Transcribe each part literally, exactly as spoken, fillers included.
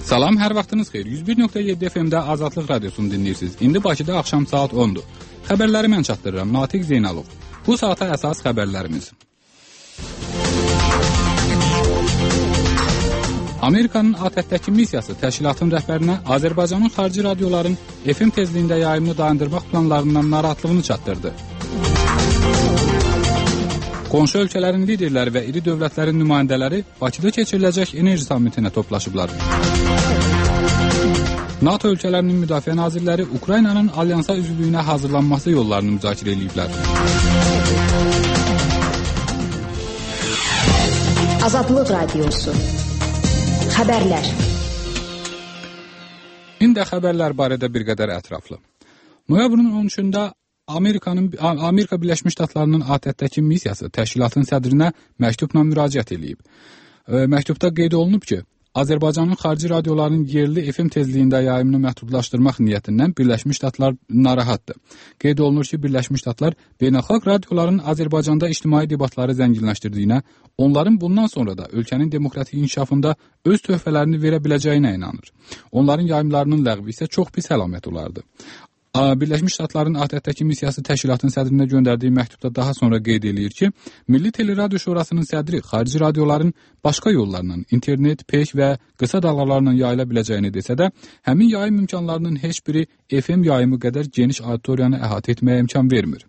Salam, hər vaxtınız xeyir. yüz bir nöqtə yeddi F M-də Azadlıq Radiosunu dinləyirsiniz. İndi Bakıda axşam saat ondur. Xəbərləri mən çatdırıram, Natiq Zeynalov. Bu saata əsas xəbərlərimiz. Amerikanın A T T-dəki missiyası təşkilatın rəhbərinə Azərbaycanın xarici radioların F M tezliyində yayımını dayandırmaq planlarından narahatlığını çatdırdı. Qonşu ölkələrin liderləri və iri dövlətlərin nümayəndələri Bakıda keçiriləcək enerji sammitinə toplaşıblar. NATO ölkələrinin müdafiə nazirləri Ukraynanın alyansa üzvlüyünə hazırlanması yollarını müzakirə ediblər. Azadlıq Radiosu. Xəbərlər. İndi xəbərlər barədə bir qədər ətraflı. Noyabrın on üçündə Amerikanın Amerika Birləşmiş Ştatlarının A T T-dəki missiyası təşkilatın sədrinə məktubla müraciət edib. Məktubda qeyd olunub ki, Azərbaycanın xarici radioların yerli F M tezliyində yayımını məhdudlaşdırmaq niyyətindən Birləşmiş Ştatlar narahatdır. Qeyd olunur ki, Birləşmiş Ştatlar beynəlxalq radioların Azərbaycanda ictimai debatları zənginləşdirdiyinə, onların bundan sonra da ölkənin demokratik inkişafında öz töhfələrini verə biləcəyinə inanır. Onların yayımlarının ləğvi isə çox pis əlamət olardı. Birləşmiş Ştatların A T T-dəki missiyası təşkilatın sədrinə göndərdiyi məktubda daha sonra qeyd edir ki, Milli Teleradio Şurasının sədri xarici radioların başqa yollarla, internet, peyk və qısa dalğalarla yayıla biləcəyini desə də, həmin yayım imkanlarının heç biri F M yayımı qədər geniş auditoriyanı əhatə etməyə imkan vermir.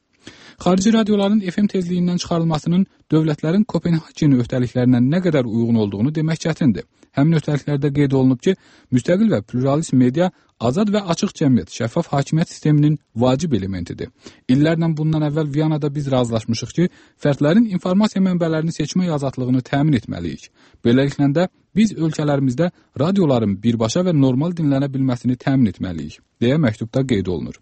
Xarici radioların F M tezliyindən çıxarılmasının dövlətlərin Kopenhagen öhdəliklərinə nə qədər uyğun olduğunu demək çətindir. Həmin öhdəliklərdə qeyd olunub ki, müstəqil və pluralist media azad və açıq cəmiyyət, şəffaf hakimiyyət sisteminin vacib elementidir. İllərlə bundan əvvəl Viyanada biz razılaşmışıq ki, fərdlərin informasiya mənbələrini seçmək azadlığını təmin etməliyik. Beləliklə də biz ölkələrimizdə radioların birbaşa və normal dinlənə bilməsini təmin etməliyik, deyə məktubda qeyd olunur.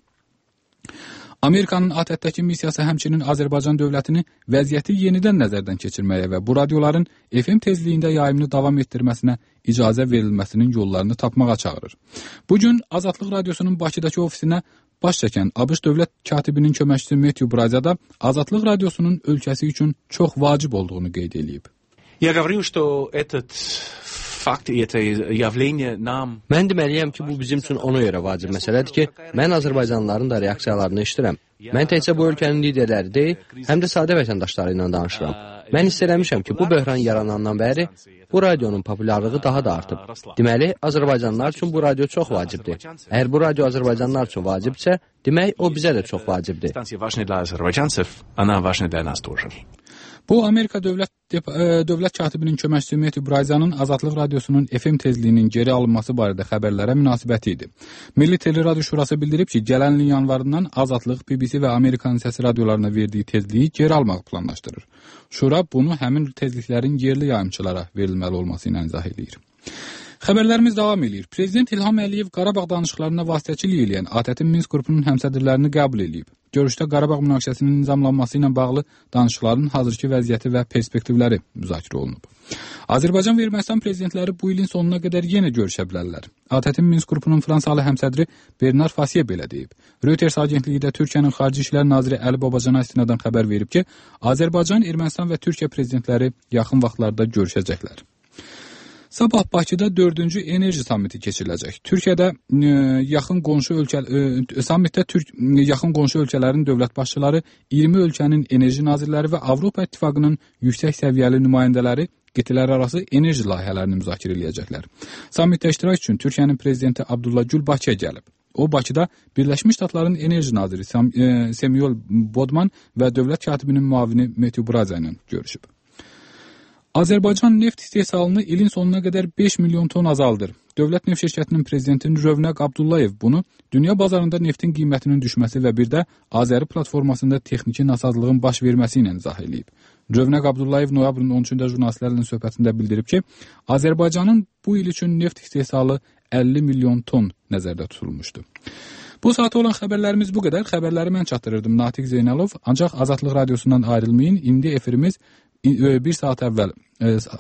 Amerikanın A T T-dəki missiyası həmçinin Azərbaycan dövlətini vəziyyəti yenidən nəzərdən keçirməyə və bu radioların F M tezliyində yayımını davam etdirməsinə icazə verilməsinin yollarını tapmağa çağırır. Bugün Azadlıq Radiosunun Bakıdakı ofisinə baş çəkən ABŞ dövlət katibinin köməkçisi Matthew Brazada Azadlıq Radiosunun ölkəsi üçün çox vacib olduğunu qeyd edib. Я говорю, что этот fakt, это явление нам... Mən deməliyəm ki, bu bizim üçün ona görə vacib məsələdir ki, mən Azərbaycanlıların da reaksiyalarını eşidirəm. Mən təkcə bu ölkənin liderləri deyil, həm də sadə vətəndaşları ilə danışıram. Mən hiss eləmişəm ki, bu böhran yaranandan bəri bu radionun populyarlığı daha da artıb. Deməli, Azərbaycanlılar üçün bu radio çox vacibdir. Əgər bu radio Azərbaycanlılar üçün vacibdirsə, demək o bizə də çox vacibdir. Bu, Amerika dövlət, dövlət katibinin köməkçisi Matthew Brazanın Azadlıq Radiosunun F M tezliyinin geri alınması barədə xəbərlərə münasibəti idi. Milli Teleradio Şurası bildirib ki, gələn ilin yanvarından Azadlıq, B B C və Amerikanın səsi radiolarına verdiyi tezliyi geri almağı planlaşdırır. Şura bunu həmin tezliklərin yerli yayımçılara verilməli olması ilə izah edir. Xəbərlərimiz davam edir. Prezident İlham Əliyev Qarabağ danışıqlarına vasitəçilik edən A T T-in Minsk qrupunun həmsədrlərini qəbul edib. Görüşdə Qarabağ münaqişəsinin nizamlanması ilə bağlı danışıqların hazırki vəziyyəti və perspektivləri müzakirə olunub. Azərbaycan və Ermənistan prezidentləri bu ilin sonuna qədər yenə görüşə bilərlər. A T T-in Minsk qrupunun Fransalı həmsədri Bernard Fasiye belə deyib. Reuters agentliyi də Türkiyənin Xarici İşlər naziri Əli Babacana istinadən xəbər verib ki, Azərbaycan, Ermənistan və Türkiyə prezidentləri yaxın vaxtlarda görüşəcəklər. Sabah Bakıda dördüncü enerji sammiti keçiriləcək. Türkiyədə e, yaxın qonşu ölkə e, sammitdə Türk e, yaxın qonşu ölkələrin dövlət başçıları, iyirmi ölkənin enerji nazirləri və Avropa İttifaqının yüksək səviyyəli nümayəndələri qitələrarası enerji layihələrini müzakirə edəcəklər. Sammitdə iştirak üçün Türkiyənin prezidenti Abdullah Gül Bakıya gəlib. O Bakıda Birləşmiş Ştatların enerji naziri Sam, e, Samuel Bodman və dövlət katibinin müavini Matthew Braza ilə görüşüb. Azərbaycan neft istehsalını ilin sonuna qədər beş milyon ton azaldır. Dövlət Neft Şirkətinin prezidenti Rövnəq Abdullayev bunu dünya bazarında neftin qiymətinin düşməsi və bir də Azəri platformasında texniki nasazlığın baş verməsi ilə izah edib. Rövnəq Abdullayev noyabrın on üçündə jurnalistlərlə söhbətində bildirib ki, Azərbaycanın bu il üçün neft istehsalı əlli milyon ton nəzərdə tutulmuşdu. Bu saata olan xəbərlərimiz bu qədər. Xəbərləri mən çatdırırdım, Natiq Zeynalov. Ancaq Azadlıq Radiosundan ayrılmayın. İndi efirimiz bir saat əvvəl,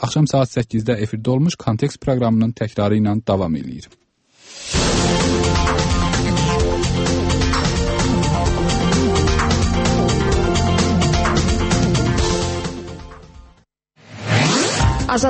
axşam saat səkkizdə efirdə olmuş Kontekst proqramının təkrarı ilə davam edir.